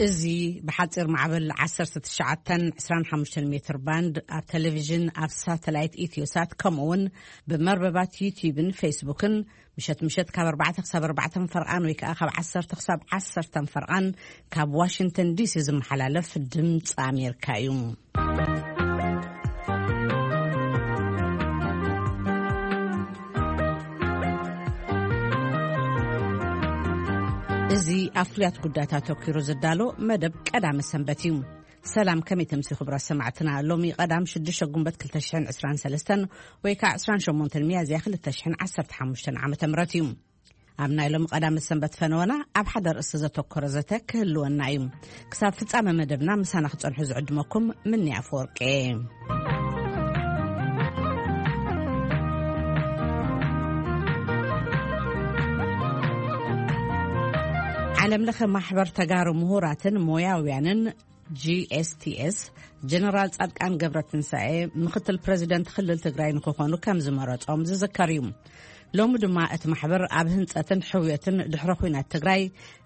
እዚ ብሓጺር ማዕበል ዓሰርተ ትሽዓተን ዕስራን ሓሙሽተን ሜትር ባንድ ኣብ ቴሌቪዥን፣ ኣብ ሳተላይት ኢትዮሳት፣ ከምኡ እውን ብመርበባት ዩቲዩብን ፌስቡክን ምሸት ምሸት ካብ ኣርባዕተ ክሳብ ኣርባዕተ ፈርቓን ወይ ከዓ ካብ ዓሰርተ ክሳብ ዓሰርተ ፈርቓን ካብ ዋሽንግተን ዲሲ ዝመሓላለፍ ድምፂ ኣሜሪካ እዩ። እዚ ኣብ ፍሉያት ጉዳያት ኣተኲሩ ዝዳሎ መደብ ቀዳመ ሰንበት እዩ። ሰላም፣ ከመይ ተምሲ ክቡራት ሰማዕትና? ሎሚ ቀዳም ሽዱሽተ ጉንበት ክልተ ሽሕን ዕስራን ሰለስተን ወይ ከዓ ዕስራን ሸሞንተን ሚያዝያ ክልተ ሽሕን ዓሰርተ ሓሙሽተን ዓመተ ምህረት እዩ። ኣብ ናይ ሎሚ ቀዳመ ሰንበት ፈነወና ኣብ ሓደ ርእሲ ዘተኮረ ዘተ ክህልወና እዩ። ክሳብ ፍጻመ መደብና ምሳና ክጸንሑ ዝዕድመኩም ምኒ ኣፈወርቂ። ዓለም ለኸ ማሕበር ተጋሩ ምሁራትን ሞያውያንን ጂ ኤስ ቲ ኤስ፣ ጀነራል ጻድቃን ገብረትንሳኤ ምኽትል ፕረዚደንት ክልል ትግራይ ንክኾኑ ከም ዝመረጾም ዝዝከር እዩ። ሎሚ ድማ እቲ ማሕበር ኣብ ህንጸትን ሕውየትን ድሕረ ኹናት ትግራይ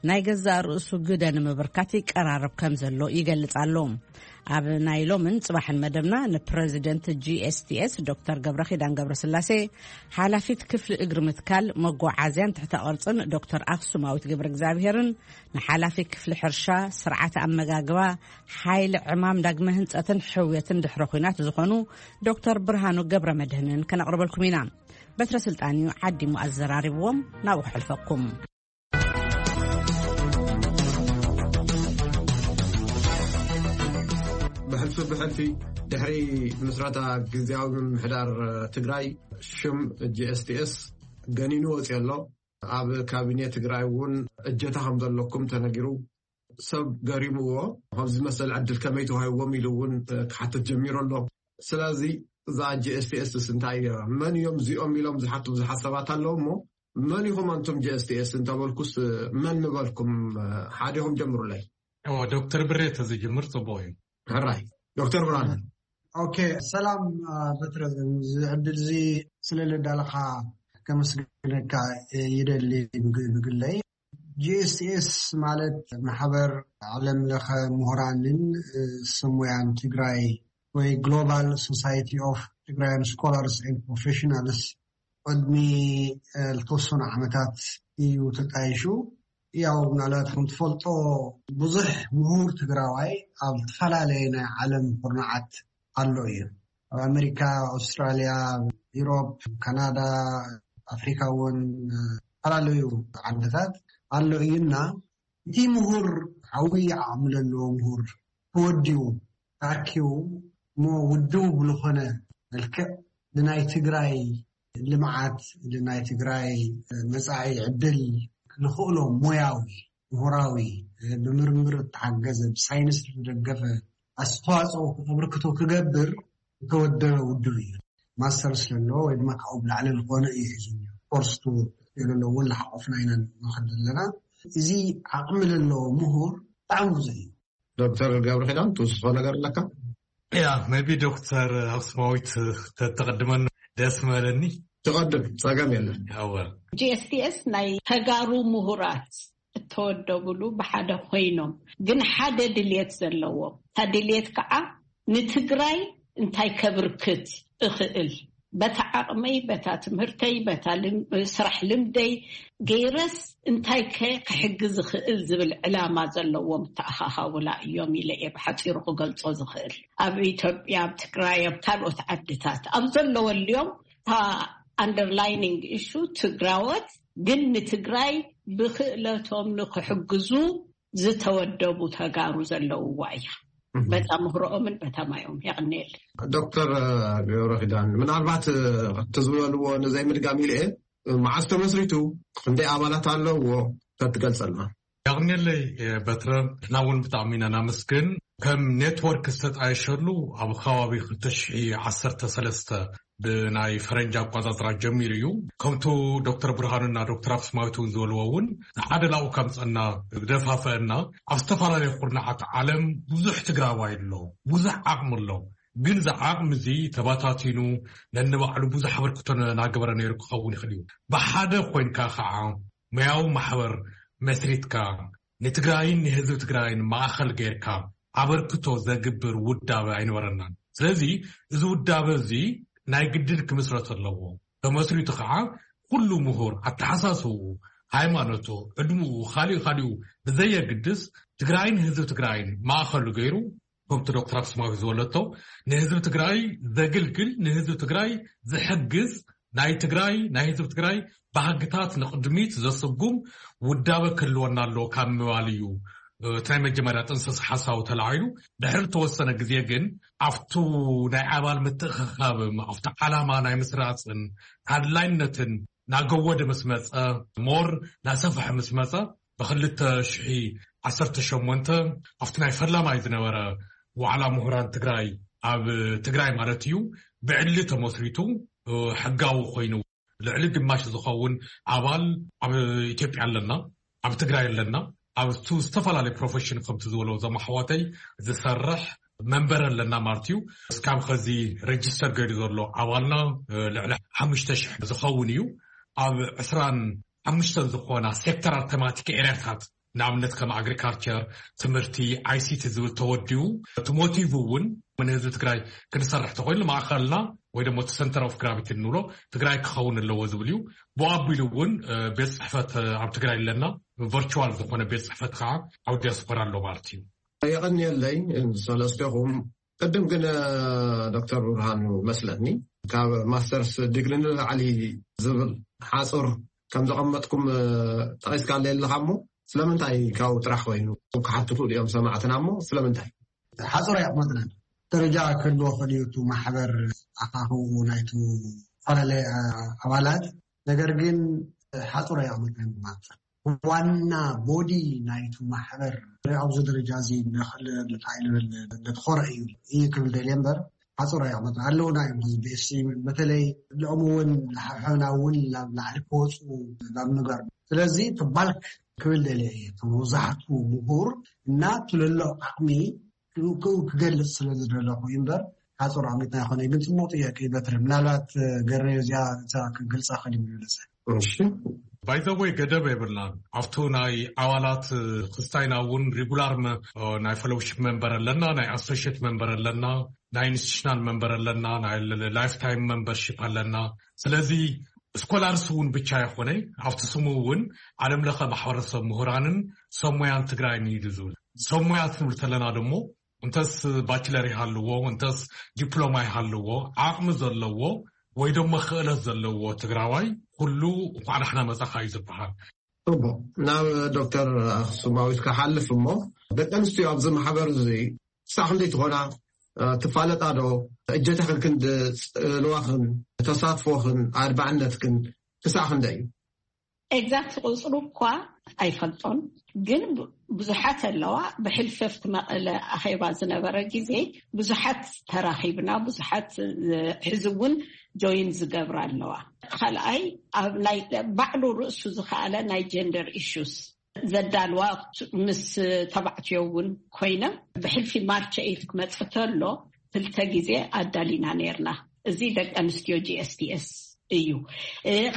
ናይ ገዛእ ርእሱ ግደ ንምብርካት ይቀራረብ ከም ዘሎ ይገልጽ ኣሎ። ኣብ ናይ ሎምን ጽባሕን መደብና ንፕረዚደንት ጂ ኤስ ቲ ኤስ ዶክተር ገብረ ኪዳን ገብረስላሴ፣ ሓላፊት ክፍሊ እግሪ ምትካል መጓዓዝያን ትሕተ ቅርጽን ዶክተር ኣክሱማዊት ገብረ እግዚኣብሄርን፣ ንሓላፊ ክፍሊ ሕርሻ፣ ስርዓተ ኣመጋግባ፣ ሓይሊ ዕማም ዳግመ ህንጸትን ሕውየትን ድሕረ ኹናት ዝኾኑ ዶክተር ብርሃኑ ገብረ መድህንን ከነቕርበልኩም ኢና። በትረ ስልጣን እዩ ዓዲሙ ኣዘራሪብዎም፣ ናብኡ ክሕልፈኩም። ብሕልፊ ብሕልፊ ድሕሪ ምስረታ ግዝያዊ ምምሕዳር ትግራይ ሽም ጂ ኤስ ቲ ኤስ ገኒኑ ወፂኡ ኣሎ። ኣብ ካቢኔ ትግራይ እውን እጀታ ከም ዘለኩም ተነጊሩ። ሰብ ገሪምዎ፣ ከምዚ መሰል ዕድል ከመይ ተዋሂብዎም ኢሉ እውን ክሓትት ጀሚሩ ኣሎ። ስለዚ እዛ ጂ ኤስ ቲ ኤስ እንታይ እያ? መን እዮም እዚኦም ኢሎም ዝሓቱ ብዙሓት ሰባት ኣለዉ እሞ፣ መን ኢኹም ኣንቱም ጂ ኤስ ቲ ኤስ እንተበልኩስ፣ መን ምበልኩም? ሓደ ኢኹም ጀምሩለይ። እዎ፣ ዶክተር ብሬ ተዝጅምር ጽቡቕ እዩ። ሕራይ፣ ዶክተር ብርሃነ። ኦኬ፣ ሰላም፣ አ፣ በትረ፣ እዚ ዕድል እዚ ስለ ለዳለኻ ከመስግነካ ይደሊ። ብግ-፣ ብግለይ፣ ጂ ኤስ ቲ ኤስ ማለት ማሕበር ዓለም ለኸ ምሁራንን፣ እ፣ ስሙያን ትግራይ ወይ ግሎባል ሶሳይቲ ኦፍ ትግራያን ስኮላርስ ኤንድ ፕሮፌሽናልስ ቅድሚ፣ እ፣ ዝተወሰኑ ዓመታት እዩ ተጣይሹ። ያው ምናልባት ከም ትፈልጦ ብዙሕ ምሁር ትግራዋይ ኣብ ዝተፈላለየ ናይ ዓለም ኩርናዓት ኣሎ እዩ። ኣብ ኣሜሪካ፣ ኣውስትራልያ፣ ኢሮፕ፣ ካናዳ፣ ኣፍሪካ እውን፣ እ፣ ዝተፈላለዩ ዓድታት ኣሎ እዩና፣ እቲ ምሁር ዓብዪ ዓቕሚ ዘለዎ ምሁር ተወዲቡ ተኣኪቡ እሞ ውድው ብልኾነ መልክዕ ንናይ ትግራይ ልምዓት፣ ንናይ ትግራይ መጻኢ ዕድል ንኽእሎ ሞያዊ፣ ምሁራዊ፣ ብምርምር እተሓገዘ፣ ብሳይንስ ዝተደገፈ ኣስተዋፅኦ ከበርክቶ ክገብር ዝተወደበ ውድብ እዩ። ማስተርስ ለለዎ ወይ ድማ ካብኡ ብላዕሊ ዝኾነ እዩ ሒዙ። ኮርስ ቱ ለለዎ እውን ለሓቆፍና ኢና ንኸድ ዘለና። እዚ ዓቕሚ ለለዎ ምሁር ብጣዕሚ ብዙሕ እዩ። ዶክተር ገብረ ኪዳን ትውስኾ ነገር ኣለካ? ያ፣ maybe ዶክተር ኣክሱማዊት ተተቐድመን ደስ ምበለኒ። ትቐድም፣ ጸገም የለን። ኣወ። ጂ ኤስ ቲ ኤስ ናይ ተጋሩ ምሁራት እተወደቡሉ ብሓደ ኮይኖም፣ ግን ሓደ ድልየት ዘለዎም፣ እታ ድልየት ከዓ ንትግራይ እንታይ ከብርክት እኽእል፣ በታ ዓቕመይ፣ በታ ትምህርተይ፣ በታ ልም-፣ ስራሕ ልምደይ ገይረስ እንታይ ከ ክሕግዝ እኽእል ዝብል ዕላማ ዘለዎም ተኣኻኻውላ እዮም ኢለ እየ ብሓፂሩ ክገልጾ ዝኽእል። ኣብ ኢትዮጵያ፣ ኣብ ትግራይ፣ ኣብ ካልኦት ዓድታት ኣብ ዘለወልዮም እታ ኣንደርላይኒንግ ኢሹ ትግራዎት ግን ንትግራይ ብክእለቶም ንክሕግዙ ዝተወደቡ ተጋሩ ዘለውዋ እያ። እህ። በታ ምህሮኦምን በታ ማዮም። የቕንየል። ዶክተር ገብረ ኪዳን፣ ምናልባት እቲ ዝበልዎ ንዘይምድጋም ኢለ እየ፣ መዓስ ተመስሪቱ፣ ክንደይ ኣባላት ኣለውዎ ተትገልጸልና? የቕንየለይ በትረ፣ ንሕና እውን ብጣዕሚ ኢና ናመስግን። ከም ኔትወርክ ዝተጣየሸሉ ኣብ ከባቢ ክልተ ሽሕ ዓሰርተ ሰለስተ ብናይ ፈረንጂ ኣቋጻጽራ ጀሚሩ እዩ። ከምቱ ዶክተር ብርሃኑና ዶክተር ኣክሱማዊት እውን ዝበልዎ እውን ንሓደ ላኡ ከምፀና ዝደፋፈአና፣ ኣብ ዝተፈላለዩ ኩርናዓት ዓለም ብዙሕ ትግራዋይ ኣሎ፣ ብዙሕ ዓቕሚ ኣሎ። ግን እዚ ዓቕሚ እዚ ተባታቲኑ ነንባዕሉ ብዙሕ ኣበርክቶ እናገበረ ነይሩ ክኸውን ይኽእል እዩ። ብሓደ ኮይንካ ከዓ መያዊ ማሕበር መስሪትካ ንትግራይን ንህዝቢ ትግራይን ማእኸል ጌርካ ኣበርክቶ ዘግብር ውዳበ ኣይነበረናን። ስለዚ እዚ ውዳበ እዚ ናይ ግድን ክምስረት ኣለዎ። ተመስሪቱ ከዓ ኩሉ ምሁር ኣተሓሳስብኡ፣ ሃይማኖቱ፣ ዕድምኡ፣ ካሊኡ ካሊኡ ብዘየግድስ ትግራይን ህዝቢ ትግራይን ማእኸሉ ገይሩ፣ ከምቲ ዶክተር ኣክሱማዊት ዝበለቶ፣ ንህዝቢ ትግራይ ዘግልግል፣ ንህዝቢ ትግራይ ዝሕግዝ፣ ናይ ትግራይ፣ ናይ ህዝቢ ትግራይ ባህግታት ንቕድሚት ዘስጉም ውዳበ ክህልወና ኣለዎ ካብ ምባል እዩ እቲ ናይ መጀመርያ ጥንስስ ሓሳቡ ተላዒሉ። ድሕሪ ዝተወሰነ ግዜ ግን ኣብቱ ናይ ኣባል ምትእኽኻብም ኣብቲ ዓላማ ናይ ምስራፅን ኣድላይነትን ናገወደ ምስ መፀ፣ ሞር ናሰፍሐ ምስ መፀ፣ ብክልተ ሽሒ ዓሰርተ ሸሞንተ ኣብቲ ናይ ፈላማይ ዝነበረ ዋዕላ ምሁራን ትግራይ፣ ኣብ ትግራይ ማለት እዩ፣ ብዕሊ ተመስሪቱ ሕጋዊ ኮይኑ ልዕሊ ግማሽ ዝኸውን ኣባል ኣብ ኢትዮጵያ ኣለና፣ ኣብ ትግራይ ኣለና። ኣብቱ ዝተፈላለዩ ፕሮፌሽን ከምቲ ዝበሎ ዘማሕዋተይ ዝሰርሕ መንበር ኣለና ማለት እዩ። እስካብ ከዚ ረጅስተር ገይሩ ዘሎ ኣባልና ልዕሊ ሓሙሽተ ሽሕ ዝኸውን እዩ። ኣብ ዕስራን ሓሙሽተን ዝኾና ሴክተራል ተማቲክ ኤሪያታት፣ ንኣብነት ከም ኣግሪካልቸር፣ ትምህርቲ፣ ኣይሲቲ ዝብል ተወዲኡ፣ እቲ ሞቲቭ እውን ንህዝቢ ትግራይ ክንሰርሕ ተኮይኑ ማእኸልና ወይ ደሞ እቲ ሰንተር ኦፍ ግራቪቲ እንብሎ ትግራይ ክኸውን ኣለዎ ዝብል እዩ። ብኣቢሉ እውን ቤት ፅሕፈት ኣብ ትግራይ ኣለና። ቨርቹዋል ዝኾነ ቤት ፅሕፈት ከዓ ኣብ ዲያስፖራ ኣሎ ማለት እዩ። የቐንየለይ ሰለስቴኹም። ቅድም ግን ዶክተር ብርሃኑ መስለኒ ካብ ማስተርስ ዲግሪ ንላዕሊ ዝብል ሓፁር ከም ዘቐመጥኩም ጠቂስካ ኣለካ እሞ ስለምንታይ ካብኡ ጥራሕ ኮይኑ ክሓቱ ክእሉ እዮም ሰማዕትና እሞ ስለምንታይ? ሓፁር ኣየቕመጥናን። ደረጃ ክህልዎ ክእል እዩ እቲ ማሕበር ኣኻኽብኡ ናይቱ ዝተፈላለየ ኣባላት፣ ነገር ግን ሓፁር ኣየቕመጥናን ማለት ዋና ቦዲ ናይቱ ማሕበር ኣብዚ ደረጃ እዚ ንኽእል ንታይ ንብል ንትኾረ እዩ እዩ ክብል ደልየ እምበር ሓፁር ኣየቕመጥና ኣለውና እዮም። ህዝቢ እስቲ በተለይ ልኦም እውን ሓብሐብና እውን ናብ ላዕሊ ክወፁ ናብ ምግባር ስለዚ ትባልክ ክብል ደልየ እየ። መብዛሕቱ ምሁር እና ትልሎ ዓቕሚ ክገልፅ ስለ ዝደለኹ እዩ እምበር ሓፁር ዓሚትና ይኮነ። ግን ፅቡቅ ጥያቄ እዩ በትሪ። ምናልባት ገረዮ እዚኣ እዛ ክገልፃ ክእል ይምለሰ። እሺ። ባይዘወይ ገደብ የብልናን። ኣብቱ ናይ ኣባላት ክስታይና እውን ሪጉላር መ- ናይ ፌሎውሺፕ መንበር ኣለና፣ ናይ ኣሶሽት መንበር ኣለና፣ ናይ ኢንስቲቱሽናል መንበር ኣለና፣ ናይ ላይፍ ታይም መንበርሺፕ ኣለና። ስለዚ ስኮላርስ እውን ብቻ ይኮነ ኣብቲ ስሙ እውን ዓለም ለኸ ማሕበረሰብ ምሁራንን ሰሙያን ትግራይን እዩ ዝብል። ሰሙያ ትብል ተለና ደሞ እንተስ ባችለር ይሃልዎ፣ እንተስ ዲፕሎማ ይሃልዎ፣ ዓቕሚ ዘለዎ ወይ ደሞ ክእለት ዘለዎ ትግራዋይ ኩሉ እንኳዕ ዳሕና መጻኻ እዩ ዝበሃል። ጽቡቕ። ናብ ዶክተር ኣኽሱማዊት ክሓልፍ እሞ፣ ደቂ ኣንስትዮ ኣብዚ ማሕበር እዚ ክሳዕ ክንደይ ትኾና? እ፣ ትፋለጣ ዶ? እጀታኽን ክንዲ ጽልዋኽን ተሳትፎኽን ኣድባዕነትክን ክሳዕ ክንደይ እዩ? ኤግዛክት ቁፅሩ እኳ ኣይፈልጦን፣ ግን ብ- ብዙሓት ኣለዋ። ብሕልፈፍቲ መቐለ ኣኼባ ዝነበረ ግዜ ብዙሓት ተራኺብና፣ ብዙሓት እ፣ ሕዚ እውን ጆይን ዝገብራ ኣለዋ። ካልኣይ ኣብ ናይ ባዕሉ ርእሱ ዝኸኣለ ናይ ጀንደር ኢሹስ ዘዳልዋ ምስ ተባዕትዮ እውን ኮይነ ብሕልፊ ማርች ኤይት ክመፅእ ተሎ ክልተ ግዜ ኣዳሊና ነርና። እዚ ደቂ ኣንስትዮ ጂ ኤስ ቲ ኤስ እዩ።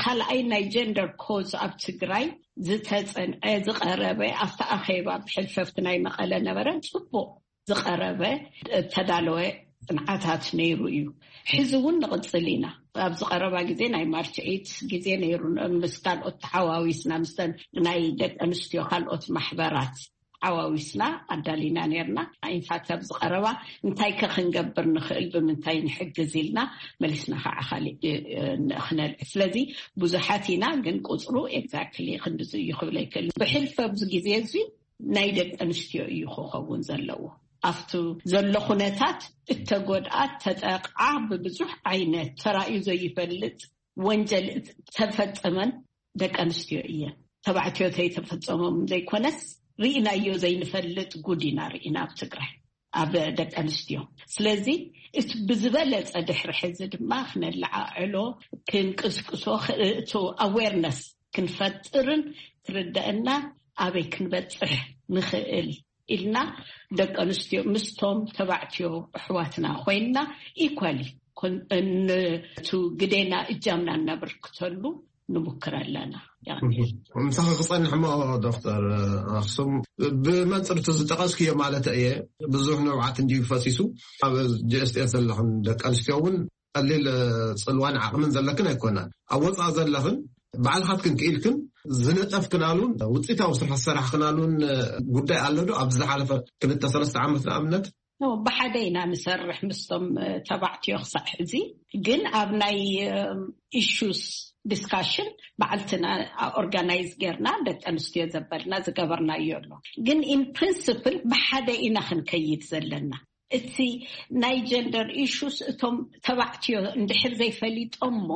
ካልኣይ ናይ ጀንደር ኮዝ ኣብ ትግራይ ዝተፀንዐ ዝቀረበ ኣብቲ ኣኼባ ብሕልፈፍቲ ናይ መቐለ ነበረ ፅቡቅ ዝቀረበ እተዳለወ ፅንዓታት ነይሩ እዩ። ሕዚ እውን ንቕፅል ኢና። ኣብዚ ቀረባ ግዜ ናይ ማርች ኤይት ግዜ ነይሩ። ምስ ካልኦት ተሓዋዊስና ምስ ናይ ደቂ ኣንስትዮ ካልኦት ማሕበራት ሓዋዊስና ኣዳሊና ነርና። ኢንፋክት ኣብዚ ቀረባ እንታይ ከ ክንገብር ንኽእል ብምንታይ ንሕግዝ ኢልና መሊስና ከዓ ካሊእ ክነልዕል። ስለዚ ብዙሓት ኢና፣ ግን ቁፅሩ ኤግዛክትሊ ክንድዚ እዩ ክብል ኣይክእል። ብሕልፊ ኣብዚ ግዜ እዚ ናይ ደቂ ኣንስትዮ እዩ ክኸውን ዘለዎ። ኣብቲ ዘሎ ኩነታት እተጎድኣ ተጠቕዓ ብብዙሕ ዓይነት ተራእዩ ዘይፈልጥ ወንጀል ተፈጸመን ደቂ ኣንስትዮ እየን። ተባዕትዮ ተይተፈጸሞም ዘይኮነስ ርኢናዮ ዘይንፈልጥ ጉድ ኢና ርኢና ኣብ ትግራይ ኣብ ደቂ ኣንስትዮ። ስለዚ እቲ ብዝበለጸ ድሕሪ ሕዚ ድማ ክነለዓዕሎ ክንቅስቅሶ እቲ ኣዌርነስ ክንፈጥርን ክርደአና ኣበይ ክንበጽሕ ንኽእል ኢልና ደቂ ኣንስትዮ ምስቶም ተባዕትዮ ኣሕዋትና ኮይንና ኢኳሊ ነቱ ግዴና እጃምና እናበርክተሉ ንሙክር ኣለና። ያኔ ምሳኺ ክጸንሕ እሞ ዶክተር ኣኽሱም፣ ብመንፅርቱ ዝጠቐስክዮ ማለት እየ። ብዙሕ ንብዓት እንዲዩ ፈሲሱ ኣብ ጂኤስቲኤስ ዘለኽን ደቂ ኣንስትዮ እውን ቀሊል ፅልዋን ዓቕምን ዘለክን ኣይኮናን። ኣብ ወፃእ ዘለኽን ባዕልኻትክን ክኢልክን ዝነጠፍክናሉን ውፅኢታዊ ስራሕ ዝሰራሕክናሉን ጉዳይ ኣሎ ዶ? ኣብዚ ዝሓለፈ ክልተ ሰለስተ ዓመት ንኣብነት ብሓደ ኢና ንሰርሕ ምስቶም ተባዕትዮ ክሳዕ ሕዚ። ግን ኣብ ናይ ኢሹስ ዲስካሽን ባዕልትና ኦርጋናይዝ ጌርና ደቂ ኣንስትዮ ዘበልና ዝገበርናዮ ኣሎ። ግን ኢን ፕሪንስፕል ብሓደ ኢና ክንከይድ ዘለና። እቲ ናይ ጀንደር ኢሹስ እቶም ተባዕትዮ እንድሕር ዘይፈሊጦሞ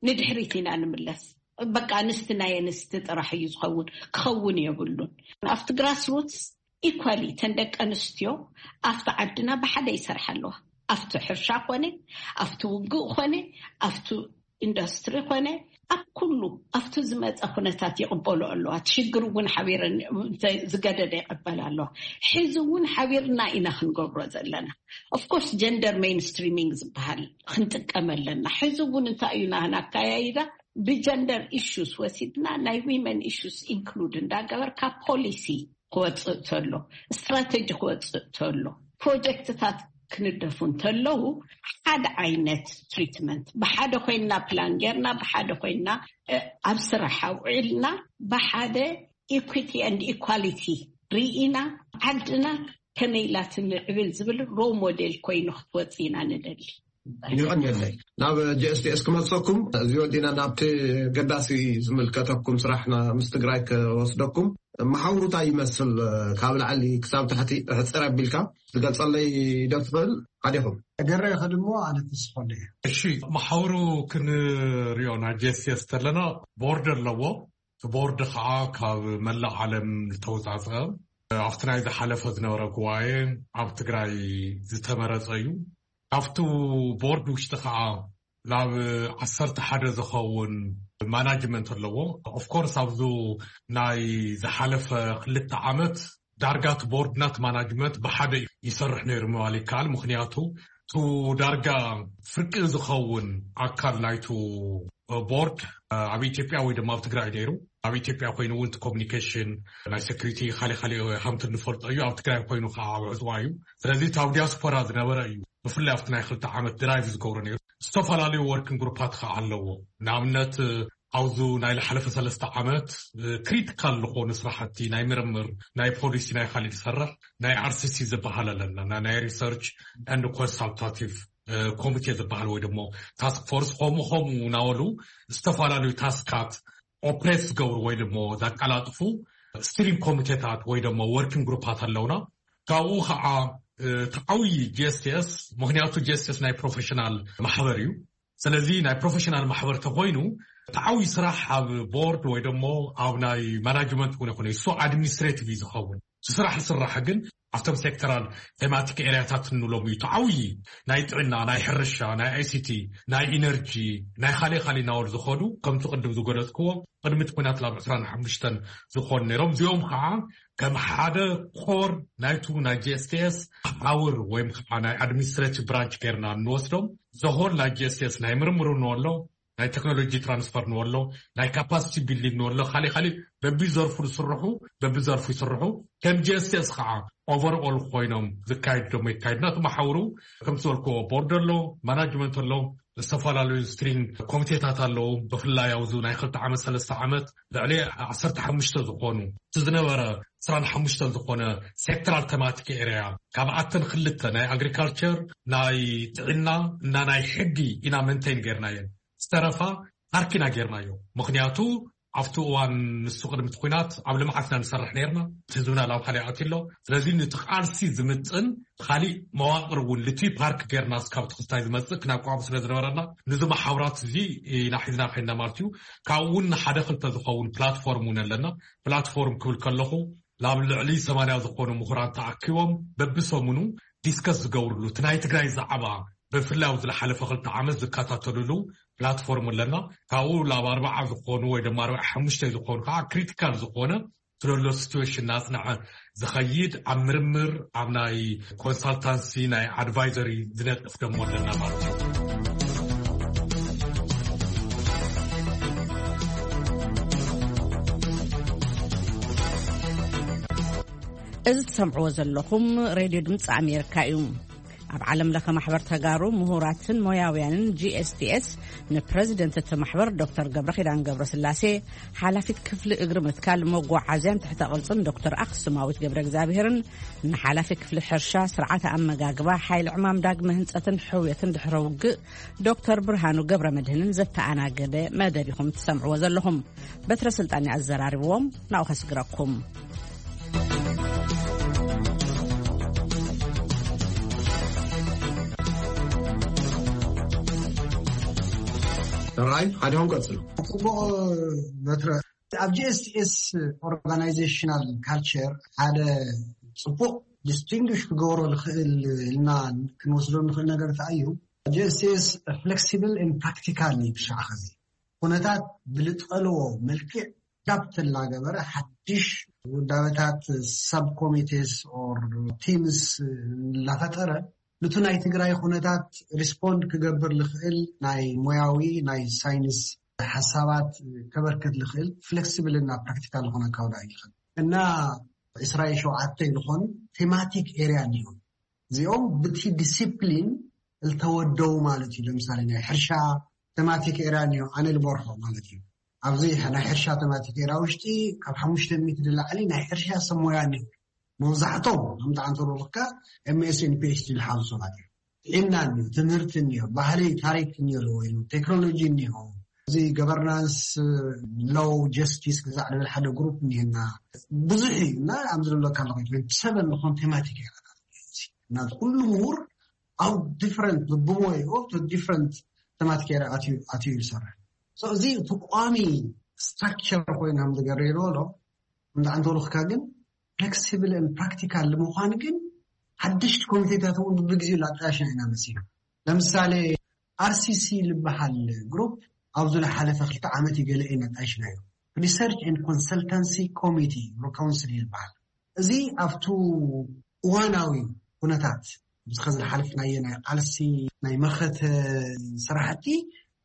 ንድሕሪት ኢና ንምለስ። በቃ ኣንስቲ ናይ ኣንስቲ ጥራሕ እዩ ዝኸውን፣ ክኸውን የብሉን። ኣብቲ ግራስሩትስ ኢኳሊ ተን ደቂ ኣንስትዮ ኣብቲ ዓድና ብሓደ ይሰርሓ ኣለዋ። ኣብቲ ሕርሻ ኮነ፣ ኣብቲ ውግእ ኮነ፣ ኣብቲ ኢንዱስትሪ ኮነ፣ ኣብ ኩሉ ኣብቲ ዝመፀ ኩነታት ይቕበሉ ኣለዋ። እቲ ሽግር እውን ሓቢረን ዝገደደ ይቐበል ኣለዋ። ሕዚ እውን ሓቢርና ኢና ክንገብሮ ዘለና። ኦፍኮርስ ጀንደር ሜንስትሪሚንግ ዝበሃል ክንጥቀም ኣለና። ሕዚ እውን እንታይ እዩ ናህና ኣካያይዳ ብጀንደር ኢሹስ ወሲድና ናይ ዊመን ኢሹስ ኢንክሉድ እንዳገበርካ ፖሊሲ ክወፅእ ተሎ፣ ስትራተጂ ክወፅእ ተሎ፣ ፕሮጀክትታት ክንደፉ እንተለዉ ሓደ ዓይነት ትሪትመንት ብሓደ ኮይንና ፕላን ጌርና ብሓደ ኮይንና ኣብ ስራሕ ኣውዒልና ብሓደ ኢኩቲ ን ኢኳሊቲ ርኢና ዓድና ከመይ ኢላ ትምዕብል ዝብል ሮ ሞዴል ኮይኑ ክትወፅእ ኢና ንደሊ። ይቐንየለይ ናብ ጂኤስቲኤስ ክመልሰኩም እዚ ወዲና ናብቲ ገዳሲ ዝምልከተኩም ስራሕና ምስ ትግራይ ክወስደኩም። መሓውሩታ ይመስል ካብ ላዕሊ ክሳብ ታሕቲ ሕፅር ኣቢልካ ትገልፀለይ ዶ ትኽእል? ሓዲኹም ገረ ይኸድሞ ኣነ ተስፋለ። እሺ መሓውሩ ክንሪኦ ናይ ጂኤስቲኤስ ተለና ቦርድ ኣለዎ። እቲ ቦርድ ከዓ ካብ መላእ ዓለም ዝተወፃፀ ኣብቲ ናይ ዝሓለፈ ዝነበረ ጉባኤ ኣብ ትግራይ ዝተመረፀ እዩ። ኣብቲ ቦርድ ውሽጢ ከዓ ናብ ዓሰርተ ሓደ ዝኸውን ማናጅመንት ኣለዎ። ኦፍኮርስ ኣብዚ ናይ ዝሓለፈ ክልተ ዓመት ዳርጋ እቲ ቦርድ ናት ማናጅመንት ብሓደ ይሰርሕ ነይሩ ምባል ይከኣል። ምክንያቱ ቱ ዳርጋ ፍርቂ ዝኸውን ኣካል ናይቱ ቦርድ ኣብ ኢትዮጵያ ወይ ድማ ኣብ ትግራይ ነይሩ። ኣብ ኢትዮጵያ ኮይኑ እውን ኮሚኒኬሽን ናይ ሴኩሪቲ ካሊእ ካሊእ ሃምት እንፈልጦ እዩ። ኣብ ትግራይ ኮይኑ ከዓ ኣብ ዕፅዋ እዩ። ስለዚ እቲ ኣብ ዲያስፖራ ዝነበረ እዩ። ብፍላይ ኣብቲ ናይ ክልተ ዓመት ድራይቭ ዝገብሮ ነይሩ። ዝተፈላለዩ ወርኪንግ ግሩፓት ከዓ ኣለዎ። ንኣብነት ኣብዚ ናይ ዝሓለፈ ሰለስተ ዓመት ክሪቲካል ዝኾኑ ስራሕቲ ናይ ምርምር ናይ ፖሊሲ ናይ ካሊእ ዝሰርሕ ናይ ኣርሲሲ ዝበሃል ኣለና ናይ ሪሰርች ን ኮንሳልታቲቭ ኮሚቴ ዝበሃል ወይ ደሞ ታስክ ፎርስ ከምኡ ከምኡ እናበሉ ዝተፈላለዩ ታስካት ኦፕሬት ዝገብሩ ወይ ደሞ ዘቀላጥፉ ስቲሪንግ ኮሚቴታት ወይ ደሞ ወርኪንግ ግሩፓት ኣለውና። ካብኡ ከዓ ተዓውይ ጂኤስቲኤስ ምክንያቱ ጂኤስቲኤስ ናይ ፕሮፌሽናል ማሕበር እዩ። ስለዚ ናይ ፕሮፌሽናል ማሕበር ተኮይኑ ተዓውይ ስራሕ ኣብ ቦርድ ወይ ደሞ ኣብ ናይ ማናጅመንት እውን ይኮነ እሱ ኣድሚኒስትሬቲቭ እዩ ዝኸውን። እቲ ስራሕ ዝስራሕ ግን ኣብቶም ሴክተራል ቴማቲክ ኤርያታት እንብሎም እዩ ተዓውይ ናይ ጥዕና ናይ ሕርሻ ናይ ኣይሲቲ ናይ ኢነርጂ ናይ ካሊእ ካሊእ እናበሉ ዝኸዱ ከምቲ ቅድም ዝገለፅክዎ ቅድሚ እቲ ኩናት ላብ ዕስራን ሓሙሽተን ዝኾኑ ነይሮም። እዚኦም ከዓ ከም ሓደ ኮር ናይቱ ናይ ጂኤስቲኤስ ሓውር ወይም ከዓ ናይ ኣድሚኒስትሬቲቭ ብራንች ገይርና እንወስዶም ዘሆል ናይ ጂኤስቲኤስ ናይ ምርምሩ ንወሎ ናይ ቴክኖሎጂ ትራንስፈር ንወሎ ናይ ካፓሲቲ ቢልዲንግ ንወሎ ካሊእ ካሊእ በቢዘርፉ ዝስርሑ በቢዘርፉ ይስርሑ። ከም ጂኤስቲኤስ ከዓ ኦቨርኦል ኮይኖም ዝካየድ ደሞ ይካየድና እቲ መሓውሩ ከምቲ ዝበልክዎ ቦርድ ኣሎ ማናጅመንት ኣሎ ዝተፈላለዩ ስትሪንግ ኮሚቴታት ኣለዉ። ብፍላይ ኣብዚ ናይ ክልተ ዓመት ሰለስተ ዓመት ልዕሊ ዓሰርተ ሓሙሽተ ዝኾኑ እቲ ዝነበረ ዕስራን ሓሙሽተን ዝኾነ ሴክተራል ተማቲክ ኤርያ ካብኣተን ክልተ ናይ ኣግሪካልቸር ናይ ጥዕና እና ናይ ሕጊ ኢና መንቴን ጌርናየን ዝተረፋ ፓርክ ኢና ጌርናዮ። ምክንያቱ ኣብቲ እዋን ንሱ ቅድሚ እቲ ኩናት ኣብ ልምዓት ኢና ንሰርሕ ነርና። እቲ ህዝብና ናብ ካሊእ ኣትዩ ኣሎ። ስለዚ ነቲ ቃልሲ ዝምጥን ካሊእ መዋቅር እውን ልቲ ፓርክ ጌርና እስካብ ትክስታይ ዝመፅእ ክናቋቁም ስለ ዝነበረና ነዚ መሓውራት እዚ ኢና ሒዝና ከይና ማለት እዩ። ካብኡ እውን ሓደ ክልተ ዝኸውን ፕላትፎርም እውን ኣለና። ፕላትፎርም ክብል ከለኹ ላብ ልዕሊ ሰማንያ ዝኾኑ ምሁራን ተኣኪቦም በብሰሙኑ ዲስከስ ዝገብርሉ እቲ ናይ ትግራይ ዛዕባ ብፍላይ ኣብዚ ዝሓለፈ ክልተ ዓመት ዝከታተልሉ ፕላትፎርም ኣለና። ካብኡ ላብ ኣርባዓ ዝኾኑ ወይ ድማ ኣርባዓ ሓሙሽተ ዝኾኑ ከዓ ክሪቲካል ዝኾነ ስለሎ ሲትዌሽን እናፅንዐ ዝኸይድ ኣብ ምርምር ኣብ ናይ ኮንሳልታንሲ ናይ ኣድቫይዘሪ ዝነጥፍ ደሞ ኣለና ማለት እዩ። እዚ ትሰምዕዎ ዘለኹም ሬድዮ ድምፂ ኣሜሪካ እዩ። ኣብ ዓለም ለኸ ማሕበር ተጋሩ ምሁራትን ሞያውያንን ጂ ኤስ ቲ ኤስ፣ ንፕረዚደንት እቲ ማሕበር ዶክተር ገብረ ኪዳን ገብረ ስላሴ፣ ሓላፊት ክፍሊ እግሪ ምትካል መጓዓዝያን ትሕተ ቅርፅን ዶክተር ኣክሱማዊት ገብረ እግዚኣብሔርን፣ ንሓላፊ ክፍሊ ሕርሻ፣ ስርዓተ ኣመጋግባ፣ ሓይሊ ዕማም ዳግመ ህንፀትን ሕውየትን ድሕረ ውግእ ዶክተር ብርሃኑ ገብረ መድህንን ዘተኣናገደ መደብ ኢኹም ትሰምዕዎ ዘለኹም። በትረ ስልጣን ኣዘራርብዎም፣ ናብኡ ከስግረኩም። ራይ ሓዲኦም ቀጽሉ። ጽቡቕ በትረ። ኣብ ጂ ኤስ ቲ ኤስ ኦርጋናይዜሽናል ካልቸር ሓደ ጽቡቕ ዲስቲንግሽ ክገብሮ ንኽእል ኢልና ክንወስዶ ንኽእል ነገር እንታይ እዩ? ጂ ኤስ ቲ ኤስ ፍሌክሲብል ን ፕራክቲካል እዩ። ብሻዕ ኸዚ ኩነታት ብልጠልዎ መልክዕ ዳፕት እናገበረ ሓድሽ ውዳበታት ሳብ ኮሚቴስ ኦር ቲምስ እናፈጠረ ንቱ ናይ ትግራይ ኩነታት ሪስፖንድ ክገብር ዝኽእል ናይ ሞያዊ ናይ ሳይንስ ሓሳባት ከበርክት ዝኽእል ፍሌክሲብል እና ፕራክቲካል ዝኾነ ካውዳ ይኽእል እና ዕስራ ሸውዓተ ዝኾኑ ቴማቲክ ኤሪያ እንዲሁ እዚኦም ብቲ ዲሲፕሊን ዝተወደው ማለት እዩ። ለምሳሌ ናይ ሕርሻ ቴማቲክ ኤሪያ እንዲሁ ኣነ ልበርሖ ማለት እዩ። ኣብዚ ናይ ሕርሻ ቴማቲክ ኤሪያ ውሽጢ ካብ ሓሙሽተ ሚእቲ ንላዕሊ ናይ ሕርሻ ሰብ ሞያ እንዲሁ መብዛሕቶም ከምቲ ኣንተሮልካ ኤምኤስን ፒኤችዲ ዝሓዙ ሰባት እዮም። ጥዕና እኒኦ፣ ትምህርቲ እኒኦ፣ ባህሊ ታሪክ እኒኦ፣ ወይ ቴክኖሎጂ እኒኦ፣ እዚ ገቨርናንስ ሎው ጀስቲስ ክዛዕ ልብል ሓደ ግሩፕ እኒሄና ብዙሕ እዩ እና ኣብዚ ዝብለካ ኣለኹ ትወንቲ ሰቨን ዝኾን ቴማቲክ ኤሪያታት እና ኩሉ ምሁር ኣብ ዲፍረንት ብሞይኡ ዲፍረንት ቴማቲክ ኤሪያ ኣትዩ ይሰርሕ። እዚ ተቋሚ ስትራክቸር ኮይና ምዝገረየሎ እንዳ ኣንተወልኽካ ግን ፍሌክሲብል ን ፕራክቲካል ንምዃን ግን ሓደሽቲ ኮሚቴታት እውን ብብግዚኡ ላጣያሽና ኢና መሲና። ለምሳሌ ኣርሲሲ ዝበሃል ግሩፕ ኣብዚ ዝሓለፈ ክልተ ዓመት ይገለ ኢና ጣይሽናዮ። ሪሰርች ን ኮንሰልታንሲ ኮሚቲ ካውንስል ይበሃል። እዚ ኣብቱ እዋናዊ ኩነታት ብዝኸ ዝሓለፍናየ ናይ ቃልሲ ናይ መኸተ ስራሕቲ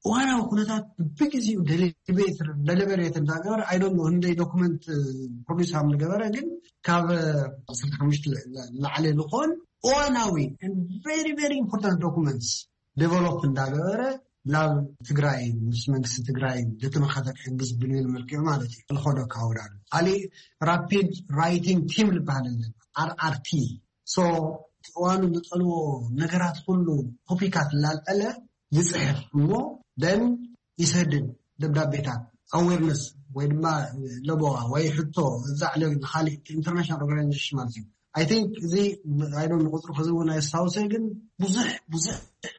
እዋናዊ ኩነታት ብግዜኡ ደሊቤት ደሊበሬት እንዳገበረ ኣይዶን ህንደይ ዶኩመንት ፕሮዲስ ከም ዝገበረ ግን ካብ ዓሰርተ ሓሙሽተ ላዕሊ ዝኾን እዋናዊ very very important documents develop እንዳገበረ ናብ ትግራይ ምስ መንግስቲ ትግራይ ደተመኻተ ክሕግዝ ብልብል መልክዑ ማለት እዩ ልኾዶ ካውዳሉ ካሊእ ራፒድ ራይቲንግ ቲም ዝበሃል ኣለና ኣርኣርቲ so እዋኑ ዝጠልዎ ነገራት ኩሉ ቶፒካት ላልዐለ ይፅሕፍ እሞ ደን ይሰድድ ደብዳቤታት ኣዌርነስ ወይ ድማ ለበዋ ወይ ሕቶ እዛዕ ንካሊእ ኢንተርናሽናል ኦርጋናይዜሽን ማለት እዩ። I think እዚ ኣይዶ ንቁፅሩ ከዚ እውን ኣየስታውሰ ግን ብዙሕ ብዙሕ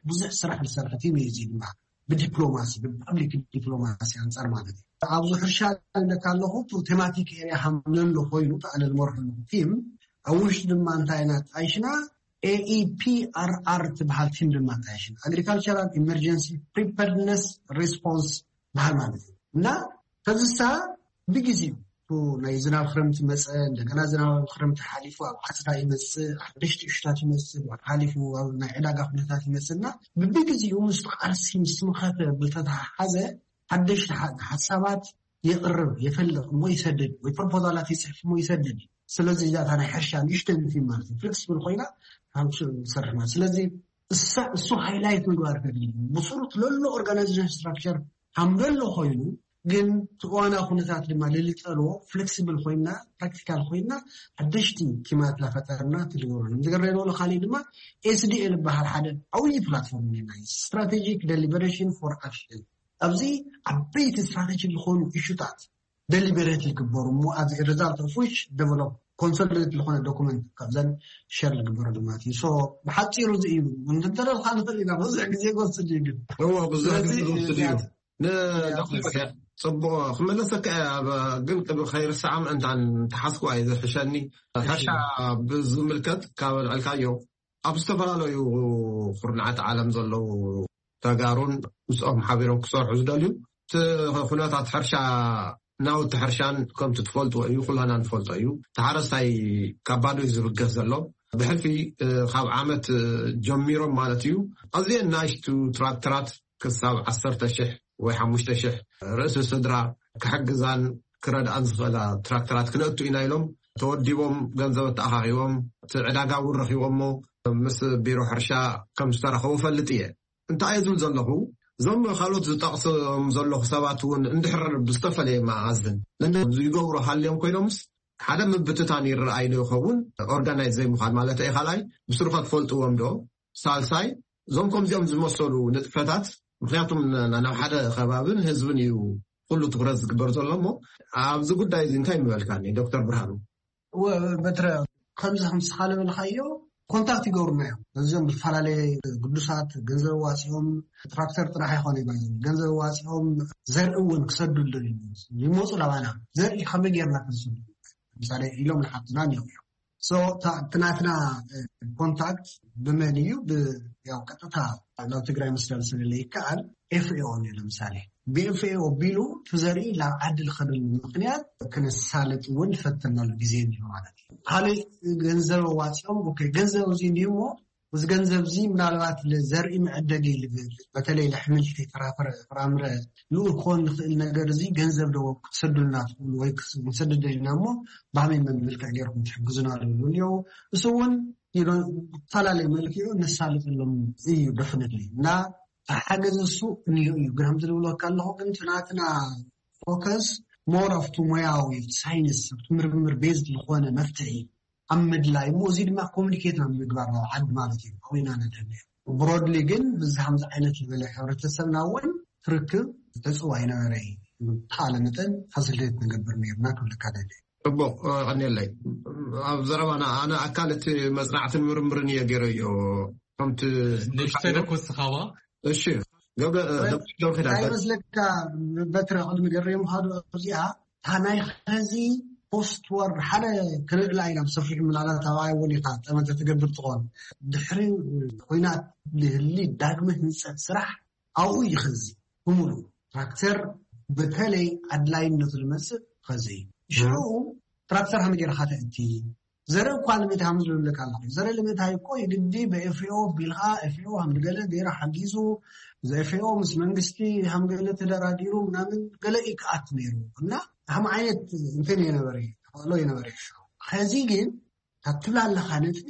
ብዙሕ ስራሕ ዝሰርሐ ቲም እዩ እዚ ድማ ብዲፕሎማሲ ብፓብሊክ ዲፕሎማሲ ኣንፃር ማለት እዩ። ኣብዚ ሕርሻ ኢለካ ኣለኹ ቴማቲክ ኤሪያ ሃምለሎ ኮይኑ ኣነ ዝመርሑ ቲም ኣብ ውሽጢ ድማ እንታይ ኢና ጣይሽና ኤኢፒኣርኣር ትበሃል ቲም ድማ ጣይሽና ኣግሪካልቸራል ኢመርጀንሲ ፕሪፐርድነስ ሬስፖንስ በሃል ማለት እዩ እና ከዝሳ ብግዜኡ ናይ ዝናብ ክረምቲ መፀ እንደገና ዝናብ ክረምቲ ሓሊፉ ኣብ ዓፅዳ ይመፅእ ሓደሽቲ እሽታት ይመፅእ ሓሊፉ ናይ ዕዳጋ ኩነታት ይመፅእና ብብግዜኡ ምስ ቃልሲ ምስ ምኸተ ብተተሓሓዘ ሓደሽቲ ሓሳባት የቕርብ የፈልቕ እሞ ይሰድድ ወይ ፕሮፖዛላት ይፅሕፍ እሞ ይሰድድ ስለዚ እዛታ ናይ ሕርሻ ንእሽተን ቲም ማለት እዩ ፍሌክስብል ኮይና ንሰርሕ ማለት ስለዚ እሱ ሃይላይት ምግባር ከድሊ ብስሩ ትለሎ ኦርጋናይዜሽን ስትራክቸር ሃምደሎ ኮይኑ ግን እዋና ኩነታት ድማ ልልጠልዎ ፍሌክሲብል ኮይና ፕራክቲካል ኮይና ሓደሽቲ ቲማት ላፈጠርና ትልገበሉ ዝገረዶ ካሊእ ድማ ኤስዲኤ ዝበሃል ሓደ ዓብዪ ፕላትፎርም ና strategic deliberation for action ኣብዚ ዓበይቲ ስትራቴጂ ዝኾኑ ኢሹታት ደሊበሬት ይግበሩ እሞ ኣብዚ ሪዛልት ኦፍ ዊች ደቨሎፕ ኮንሶሊዴት ዝኾነ ዶኩመንት ካብዘን ሸር ዝግበረሉ ማለት እዩ። ብሓፂሩ እዚ እዩ እንተደልካ ንኽእል ኢና ብዙሕ ግዜ ክወስድ እዩ ግን እዎ ብዙሕ ግዜ ክወስድ እዩ። ንዳክተር ጽቡቕ ክመለሰካ እየ ኣብ ግን ቅድሚ ከይርስዓ ምእንታን ተሓስኩዋ እዩ ዝሕሸኒ ሕርሻ ብዝምልከት ካብ ኣልዕልካዮ ኣብ ዝተፈላለዩ ኩርናዓት ዓለም ዘለዉ ተጋሩን ምስኦም ሓቢሮም ክሰርሑ ዝደልዩ እቲ ኩነታት ሕርሻ ናውቲ ሕርሻን ከምቲ ትፈልጥዎ እዩ ኩላና ንፈልጦ እዩ ተሓረስታይ ካብ ባዶ እዩ ዝብገስ ዘሎ ብሕልፊ ካብ ዓመት ጀሚሮም ማለት እዩ ኣዝየን ናሽቱ ትራክተራት ክሳብ ዓሰርተ ሽሕ ወይ ሓሙሽተ ሽሕ ርእሲ ስድራ ክሕግዛን ክረድኣን ዝኽእላ ትራክተራት ክነእቱ ኢና ኢሎም ተወዲቦም፣ ገንዘብ ተኣኻኺቦም፣ እቲ ዕዳጋ እውን ረኺቦሞ፣ ምስ ቢሮ ሕርሻ ከም ዝተረኸቡ ፈልጥ እየ። እንታይ እየ ዝብል ዘለኹ፣ እዞም ካልኦት ዝጠቕሶም ዘለኹ ሰባት እውን እንድሕር ብዝተፈለየ መኣዝን ይገብሩ ሃልዮም ኮይኖምስ፣ ሓደ ምብትታን ይረኣይ ዶ ይኸውን? ኦርጋናይዝ ዘይምዃን ማለት እዩ። ካልኣይ፣ ብስሩኻ ትፈልጥዎም ዶ? ሳልሳይ፣ እዞም ከምዚኦም ዝመሰሉ ንጥፈታት፣ ምክንያቱም ን-፣ ናብ ሓደ ከባብን ህዝብን እዩ ኩሉ ትኩረት ዝግበር ዘሎ እሞ፣ ኣብዚ ጉዳይ እዚ እንታይ ምበልካኒ ዶክተር ብርሃኑ? ወ-፣ በትረ፣ ከምዚ ከም ስኻ ዝበልካዮ ኮንታክት ይገብሩና እዮም። እዚኦም ብዝፈላለየ ግዱሳት ገንዘብ ዋፂኦም፣ ትራክተር ጥራሕ ኣይኮነ ይባል፣ ገንዘብ ዋፂኦም ዘርኢ እውን ክሰዱ ይደልዩ ይመፁ ናባና። ዘርኢ ከመይ ጌርና ክንስዱ? ለምሳሌ ኢሎም ንሓትና እኒኦ እዮም። So፣ እታ-፣ እቲ ናትና፣ እ፣ ኮንታክት ብመን እዩ? ብ-፣ ያው ቀጥታ ናብ ትግራይ መስደል ስለለ ይከኣል፣ ኤፍኤኦ እዩ። ለምሳሌ ብኤፍኤኦ ቢሉ እቲ ዘርኢ ናብ ዓዲ ልኸደሉ ምክንያት ክነሳልጥ እውን ፈተናሉ ግዜ እንዲሁ ማለት እዩ። ካልእ ገንዘብ ኣዋፂኦም፣ ኦኬ፣ ገንዘብ እዚ እንዲሁ እሞ፣ እዚ ገንዘብ እዚ ምናልባት ንዘርኢ መዐደጊ ልብል፣ በተለይ ለሕምልቲ፣ ፍራፍረ፣ ፍራምረ ልኡ ክኾን ንኽእል ነገር እዚ ገንዘብ ዶ ክትሰዱልና ትኽእሉ ወይ ክስ-፣ ክንሰድድ ደሊና እሞ፣ ብሃመይ መን መልክዕ ገይርኩም ትሕግዙና ዝብሉ እኒኦ። እሱ እውን፣ you know፣ ብፈላለየ መልክዑ ነሳልጠሎም እዩ። ደፍነት እና ተሓገዝ እሱ እንዮ እዩ። ግን ከምዚ ዝብለካ ኣለኹ፣ ግን እቲ ናትና ፎከስ ሞር ኣብቲ ሞያዊ ሳይንስ፣ ኣብቲ ምርምር ቤዝድ ዝኾነ መፍትሒ ኣብ ምድላይ እሞ፣ እዚ ድማ ኮሚኒኬት ናብ ምግባር ናብ ዓዲ ማለት እዩ። ኣብና ነድህነ ብሮድሊ ግን ብዚ ከምዚ ዓይነት ዝበለ ሕብረተሰብና እውን ትርክብ ተፅዋ ይነበረ እዩ። ተኻለ መጠን ፋሲሊቴት ንገብር ነርና ክብለካ ደሊ። ጽቡቕ፣ እ፣ ቀኒየለይ። ኣብ ዘረባና ኣነ ኣካል እቲ መጽናዕትን ምርምርን እየ ገይረዮ። ከምቲ ንእሽተይ ደኮ ስኻባ? እሺ፣ ገብረ፣ እ፣ ገብረ፣ ገብረ ኪዳን። እንታይ ይመስለካ፣ በትረ ቅድሚ ገሬ ምዃኑ እዚኣ፣ እታ ናይ ኸዚ ፖስት ወር ሓደ ክንርእላ ኢና ብሰፊሑ፣ ምናልባት ኣብ ኣይወን ኢኻ ጠመተ ትገብር ትኾን። ድሕሪ ኹናት ልህሊ ዳግመ ህንጸት ስራሕ ኣብኡ እዩ ኸዚ ብምሉ ትራክተር በተለይ ኣድላይነቱ ዝመጽእ ኸዚ እዩ። ሽዑ ትራክተር ሃመ ጌርኻ ተእቲ ዘርኢ እኳ ልምእቲ ሃም ዝብለካ ኣለኹ። ዘርኢ ልምእታይ እኮ የግዲ ብኤፍኦ ቢልካ ኤፍኦ ሃም ገለ ገይረ ሓጊዙ ዘኤፍኦ ምስ መንግስቲ ሃም ገለ ተደራዲሩ ምናምን ገለ ይከኣት ነይሩ እና ሃም ዓይነት እንትን የነበረ ተኸእሎ የነበረ ሽዑ። ኸዚ ግን ካብ ትብላ ኣለኻ ነጥቢ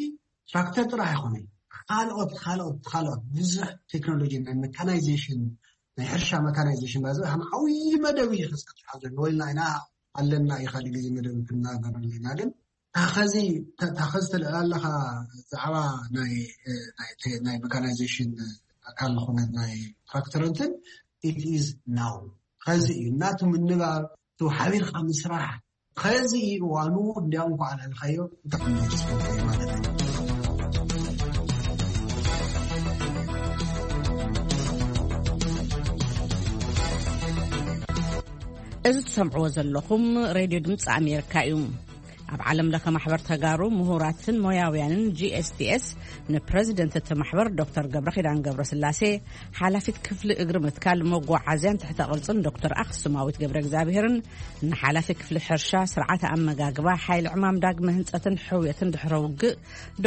ትራክተር ጥራሕ ኣይኮነን። ካልኦት፣ ካልኦት፣ ካልኦት ብዙሕ ቴክኖሎጂ ናይ መካናይዜሽን፣ ናይ ሕርሻ መካናይዜሽን ባዚ ከም ዓብዪ መደብ እዩ ክዝቅጥሓ ዘሎ። ወይልና ኢና ኣለና እዩ ካልእ ግዜ መደብ ክንናገር ኣለና። ግን ታኸዚ፣ ታ-፣ ታኸዚ ተልዕል ኣለኻ ዛዕባ ናይ፣ እ፣ ናይ ቴ-፣ ናይ መካናይዜሽን ኣካል ዝኾነ ናይ ትራክተር እንትን፣ it is now። ኸዚ እዩ እናቱ ምንባብ፣ ቱ ሓቢርካ ምስራሕ፣ ኸዚ እዩ እዋኑ። እንዲያውም እንኳዕ ኣልዕልካዮ፣ ብጣዕሚ ደስ ዝብል እዩ ማለት እዩ። እዚ ትሰምዕዎ ዘለኹም ሬድዮ ድምፂ ኣሜሪካ እዩ። ኣብ ዓለም ለኸ ማሕበር ተጋሩ ምሁራትን ሞያውያንን ጂ ኤስ ቲ ኤስ ንፕረዚደንት እቲ ማሕበር ዶክተር ገብረኺዳን ገብረስላሴ፣ ሓላፊት ክፍሊ እግሪ ምትካል መጓዓዝያን ትሕተ ቅርጽን ዶክተር ኣኽሱማዊት ገብረ እግዚኣብሔርን ንሓላፊ ክፍሊ ሕርሻ፣ ስርዓተ ኣመጋግባ፣ ሓይሊ ዕማም ዳግመ ህንጸትን ሕውየትን ድሕረ ውግእ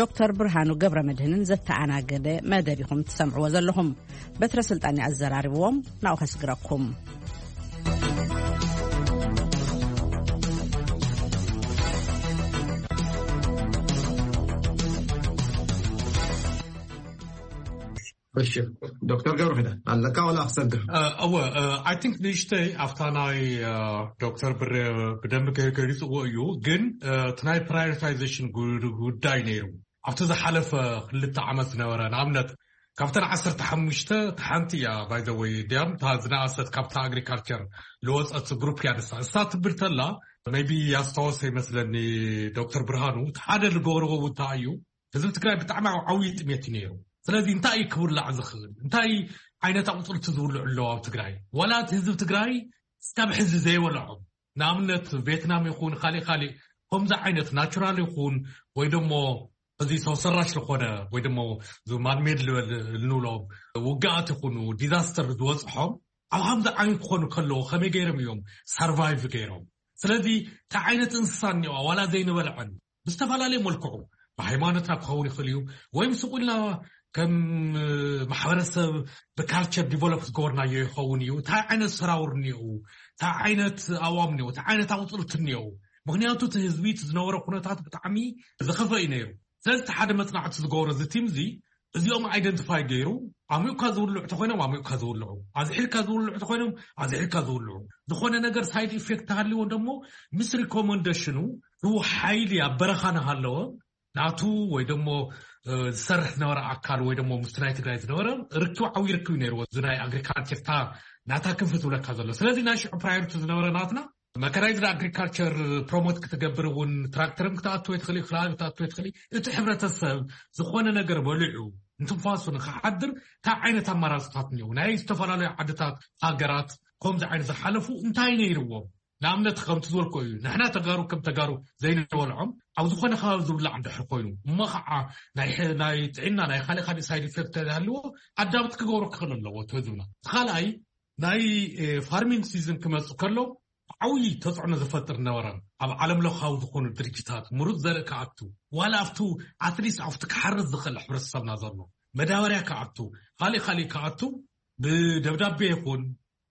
ዶክተር ብርሃኑ ገብረ መድህንን ዘተኣናገደ መደብ ኢኹም ትሰምዕዎ ዘለኹም። በትረ ስልጣን ኣዘራርብዎም ናብኡ ከስግረኩም። እሺ፣ ዶክተር ገብረኺዳን ኣለካ ዋላ ክሰግር? እ፣ እወ፣ እ፣ I think ንእሽተይ ኣብታ ናይ፣ እ፣ ዶክተር ብሬ ብደንቢ ገ-፣ ገሊጽዎ እዩ። ግን፣ እ፣ እቲ ናይ ፕራዮሪታይዜሽን ጉ-፣ ጉዳይ ነይሩ። ኣብቲ ዝሓለፈ ክልተ ዓመት ዝነበረ፣ ንኣብነት፣ ካብተን ዓሰርተ ሓሙሽተ እታ ሓንቲ እያ፣ by the way፣ ድያም እታ ዝነኣሰት ካብታ ኣግሪካልቸር ዝወጸት ግሩፕ እያ ንሳ። እሳ ትብል ተላ፣ maybe ያስታወሰ ይመስለኒ ዶክተር ብርሃኑ፣ እቲ ሓደ ዝገበርዎ እውን እንታይ እዩ፣ ህዝቢ ትግራይ ብጣዕሚ ዓብዪ ጥሜት እዩ ነይሩ። ስለዚ እንታይ እዩ ክብላዕ ዝኽእል? እንታይ ዓይነት ኣቑፅልቲ ዝብልዑ ኣለዉ ኣብ ትግራይ? ዋላ እቲ ህዝቢ ትግራይ እስካብ ሕዚ ዘይበልዖም፣ ንኣብነት ቬትናም ይኹን ካሊእ ካሊእ ከምዚ ዓይነት ናቹራል ይኹን ወይ ደሞ እዚ ሰው ሰራሽ ዝኾነ ወይ ደሞ ማንሜድ ልበል እንብሎ ውግኣት ይኹኑ ዲዛስተር ዝበፅሖም ኣብ ከምዚ ዓይነት ክኾኑ ከለዉ ከመይ ገይሮም እዮም ሰርቫይቭ ገይሮም? ስለዚ እንታይ ዓይነት እንስሳ እኒኦ ዋላ ዘይንበልዐን ብዝተፈላለየ መልክዑ ብሃይማኖትና ክኸውን ይኽእል እዩ፣ ወይም ስቕ ኢልና ከም ማሕበረሰብ ብካልቸር ዲቨሎፕ ዝገበርናዮ ይኸውን እዩ። እንታይ ዓይነት ሰራውር እኒኦ፣ እንታይ ዓይነት ኣእዋም እኒኦ፣ እንታይ ዓይነት ኣቑፅልቲ እኒኦ፣ ምኽንያቱ እቲ ህዝቢ እቲ ዝነበረ ኩነታት ብጣዕሚ ዝኸፈ እዩ ነይሩ። ስለዚ እቲ ሓደ መፅናዕቲ ዝገበሮ እዚ ቲም እዚ እዚኦም ኣይደንቲፋይ ገይሩ፣ ኣሚኡካ ዝውልዑ ተኮይኖም ኣሚኡካ ዝውልዑ፣ ኣዝሒልካ ዝውልዑ ተኮይኖም ኣዝሒልካ ዝውልዑ፣ ዝኾነ ነገር ሳይድ ኢፌክት ተሃልዎ ደሞ ምስ ሪኮመንደሽኑ፣ ሩ ሓይሊ ኣብ በረኻ ናሃለወ ናቱ ወይ ደሞ ዝሰርሕ ዝነበረ ኣካል ወይ ደሞ ምስቲ ናይ ትግራይ ዝነበረ ርክብ ዓብዪ ርክብ ነይርዎ። እዚ ናይ ኣግሪካልቸር ታ ናታ ክንፊ ዝብለካ ዘሎ ስለዚ ናይ ሽዑ ፕራዮሪቲ ዝነበረ ናትና መካናይዝድ ኣግሪካልቸር ፕሮሞት ክትገብር እውን ትራክተርም ክትኣትወ ትኽእል፣ ክላእ ክትኣትወ ትኽእል። እቲ ሕብረተሰብ ዝኾነ ነገር በሊዑ እንትንፋሱ ንክሓድር እንታይ ዓይነት ኣማራፅታት እኒው ናይ ዝተፈላለዩ ዓድታት ሃገራት ከምዚ ዓይነት ዝሓለፉ እንታይ ነይርዎም? ንኣብነት ከምቲ ዝበልኮ እዩ፣ ንሕና ተጋሩ ከም ተጋሩ ዘይንበልዖም ኣብ ዝኾነ ከባቢ ዝብላዕ እንድሕር ኮይኑ እሞ ከዓ ናይ ጥዕና ናይ ካልእ ካልእ ሳይድ ኢፌክት ተሃልዎ ኣዳብት ክገብሮ ክኽእል ኣለዎ እቲ ህዝብና። እቲ ካልኣይ ናይ ፋርሚንግ ሲዝን ክመፅእ ከሎ ዓብዪ ተፅዕኖ ዝፈጥር ነበረን ኣብ ዓለም ለኻዊ ዝኾኑ ድርጅታት ምሩፅ ዘርኢ ክኣቱ ዋላ ኣብቱ ኣትሊስት ኣብቲ ክሓርስ ዝኽእል ሕብረተሰብና ዘሎ መዳበርያ ክኣቱ ካልእ ካልእ ክኣቱ ብደብዳቤ ይኹን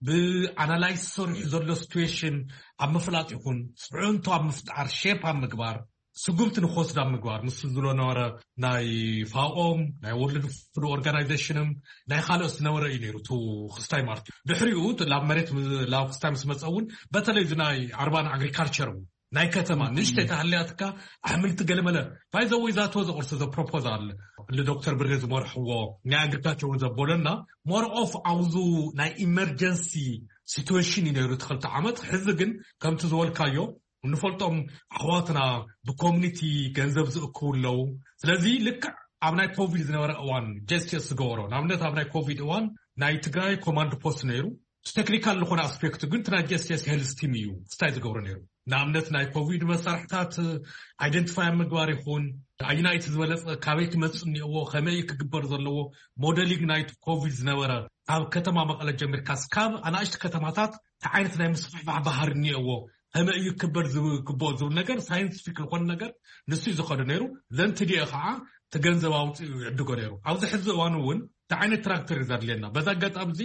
ብኣናላይስ ሰሪሑ ዘሎ ሲትዌሽን ኣብ ምፍላጥ ይኹን ፅዕንቶ ኣብ ምፍጣር ሼፕ ኣብ ምግባር ስጉምቲ ንክወስድ ኣብ ምግባር ምስ ዝብሎ ነበረ ናይ ፋኦም ናይ ወርልድ ፉድ ኦርጋናይዜሽንም ናይ ካልኦት ዝነበረ እዩ ነይሩ ቱ ክስታይ ማርት ድሕሪኡ ላብ መሬት ላብ ክስታይ ምስ መፀ እውን በተለይ እዚ ናይ ኣርባን ኣግሪካልቸር ናይ ከተማ ንእሽተይ ተሃልያትካ ኣሕምልቲ ገለመለ ባይዘወይ ዛቶ ዘቁርሲ ዘ ፕሮፖዛል ንዶክተር ብሬ ዝመርሕዎ ናይ ኣግሪካልቸር እውን ዘበለና ሞር ኦፍ ኣብዙ ናይ ኢመርጀንሲ ሲትዌሽን እዩ ነይሩ እቲ ክልተ ዓመት። ሕዚ ግን ከምቲ ዝበልካዮ እንፈልጦም ኣሕዋትና ብኮሚኒቲ ገንዘብ ዝእክቡ ኣለዉ። ስለዚ ልክዕ ኣብ ናይ ኮቪድ ዝነበረ እዋን ጀስቲስ ዝገበሮ ንኣብነት ኣብ ናይ ኮቪድ እዋን ናይ ትግራይ ኮማንድ ፖስት ነይሩ። እቲ ቴክኒካል ዝኾነ ኣስፔክት ግን እቲ ናይ ጀስቲስ ሄልስ ቲም እዩ ስታይ ዝገብሮ ነይሩ። ንኣብነት ናይ ኮቪድ መሳርሕታት ኣይደንቲፋይ ኣብ ምግባር ይኹን ኣይናይቲ ዝበለፀ ካበይ ክመፅእ እኒኦዎ ከመይ ክግበር ዘለዎ ሞደሊንግ ናይቲ ኮቪድ ዝነበረ ካብ ከተማ መቐለ ጀሚርካ ስካብ ኣናእሽቲ ከተማታት እንታይ ዓይነት ናይ ምስፍሕፋሕ ባህር እኒኦዎ ከመይ እዩ ክበር ዝግብኦ ዝብል ነገር ሳይንቲፊክ ዝኾነ ነገር ንሱ እዩ ዝኸዱ ነይሩ። ዘንትዲኦ ከዓ ትገንዘብ ኣውፅኡ ይዕድጎ ነይሩ። ኣብዚ ሕዚ እዋን እውን እንታይ ዓይነት ትራክተር እዩ ዘድልየና? በዛ ኣጋጣሚ እዚ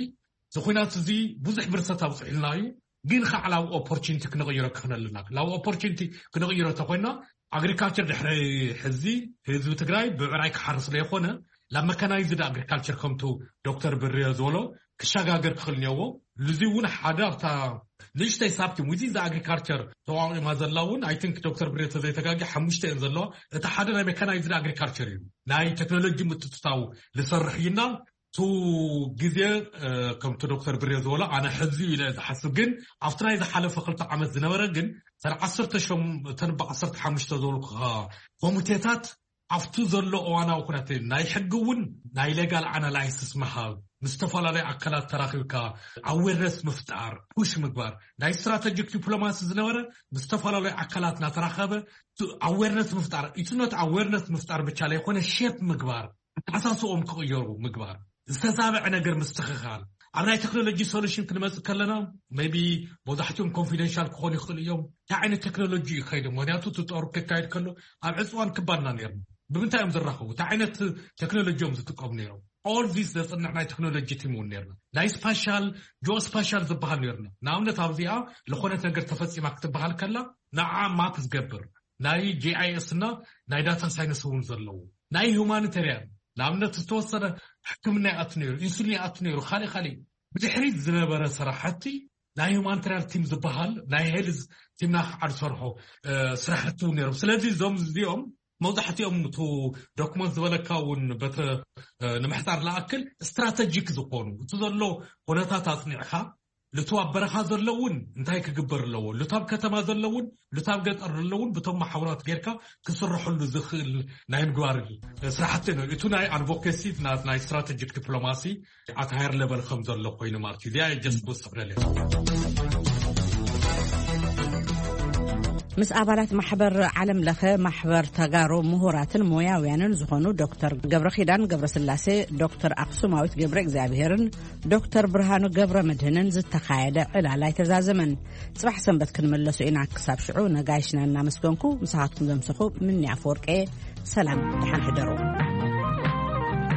እዚ ኩናት እዚ ብዙሕ ብርሰት ኣብፅሕልና እዩ። ግን ከዓ ላብ ኦፖርቹኒቲ ክንቕይሮ ክኽእል ኣለና። ላብ ኦፖርቹኒቲ ክንቕይሮ ተኮይና ኣግሪካልቸር ድሕሪ ሕዚ ህዝቢ ትግራይ ብዕራይ ክሓርስ ለይኮነ ላብ መካናይዝድ ኣግሪካልቸር ከምቱ ዶክተር ብርዮ ዝበሎ ክሸጋገር ክኽእል እኒኦዎ። እዚ እውን ሓደ ኣብታ ንእሽተይ ሳብቲ ሙዚ ዛ ኣግሪካልቸር ተቋቂማ ዘላ እውን ኣይ ቲንክ ዶክተር ብርዮ ተዘይተጋጊ ሓሙሽተ እየን ዘለዋ። እቲ ሓደ ናይ ሜካናይዝድ ኣግሪካልቸር እዩ። ናይ ቴክኖሎጂ ምትትታው ዝሰርሕ እዩና ቱ ግዜ ከምቲ ዶክተር ብሬ ዝበሎ ኣነ ሕዚ ኢለ ዝሓስብ ግን ኣብቲ ናይ ዝሓለፈ ክልተ ዓመት ዝነበረ ግን ሰር ዓሰርተ ሸም እተን ብዓሰርተ ሓሙሽተ ዝበልኩኻ ኮሚቴታት ኣብቱ ዘሎ እዋናዊ ኩነተ ናይ ሕጊ እውን ናይ ሌጋል ኣናላይስስ ምሃብ ምስ ዝተፈላለዩ ኣካላት ተራኺብካ ኣዌርነስ ምፍጣር ፑሽ ምግባር ናይ ስትራተጂክ ዲፕሎማሲ ዝነበረ ምስ ዝተፈላለዩ ኣካላት እናተራኸበ ኣዌርነስ ምፍጣር ኢትኖት ኣዌርነስ ምፍጣር ብቻ ለይኮነ ሼፕ ምግባር ኣተሓሳስኦም ክቕየሩ ምግባር ዝተዛበዐ ነገር ምስትኽኻል ኣብ ናይ ቴክኖሎጂ ሶሉሽን ክንመፅእ ከለና ቢ መብዛሕትኦም ኮንፊደንሻል ክኾኑ ይኽእሉ እዮም። እንታይ ዓይነት ቴክኖሎጂ እዩ ከይዱ ምክንያቱ እቲ ጦር ክካየድ ከሎ ኣብ ዕፅዋን ክባድና ነርና ብምንታይ እዮም ዝራኸቡ እንታይ ዓይነት ቴክኖሎጂ እዮም ዝጥቀሙ ነይሮም። ኦል ዚስ ዘፅንዕ ናይ ቴክኖሎጂ ቲም እውን ነርና ናይ ስፓሻል ጂኦ ስፓሻል ዝበሃል ነርና ንኣብነት ኣብዚኣ ዝኾነት ነገር ተፈፂማ ክትበሃል ከላ ንዓ ማፕ ዝገብር ናይ ጂኣይኤስ እና ናይ ዳታ ሳይንስ እውን ዘለዉ ናይ ሁማኒተርያን ንኣብነት ዝተወሰነ ሕክምና ይኣቱ ነይሩ ኢንሱሊን ይኣቱ ነይሩ ካልእ ካልእ ብድሕሪት ዝነበረ ስራሕቲ ናይ ሁማኒተርያን ቲም ዝበሃል ናይ ሄልዝ ቲምና ከዓ ዝሰርሖ ስራሕቲ እውን ነይሮም ስለዚ እዞም እዚኦም መብዛሕትኦም ቱ ዶክመንት ዝበለካ እውን በተ ንምሕፃር ለኣክል ስትራተጂክ ዝኾኑ እቲ ዘሎ ኩነታት ኣፅኒዕካ ልቱ ኣብ በረኻ ዘለውን እንታይ ክግበር ኣለዎ ልቱ ኣብ ከተማ ዘለውን ልቱ ኣብ ገጠር ዘለውን ብቶም ማሕበራት ጌርካ ክስርሐሉ ዝኽእል ናይ ምግባር ስራሕቲ ነው። እቱ ናይ ኣድቮኬሲ ናይ ስትራቴጂክ ዲፕሎማሲ ኣት ሃየር ሌቨል ከም ዘሎ ኮይኑ ማለት እዩ። እዚኣ ጀስት ክወስኽ ደልየ። ምስ ኣባላት ማሕበር ዓለም ለኸ ማሕበር ተጋሩ ምሁራትን ሞያውያንን ዝኾኑ ዶክተር ገብረኺዳን ገብረስላሴ፣ ዶክተር ኣክሱማዊት ገብረ እግዚኣብሄርን ዶክተር ብርሃኑ ገብረ መድህንን ዝተኻየደ ዕላል ኣይተዛዘመን። ጽባሕ ሰንበት ክንምለሱ ኢና። ክሳብ ሽዑ ነጋይሽና እናመስገንኩ ምሳኻትኩም ዘምሰኹ ምኒ ኣፈወርቄ ሰላም ደሓን ሕደሩ።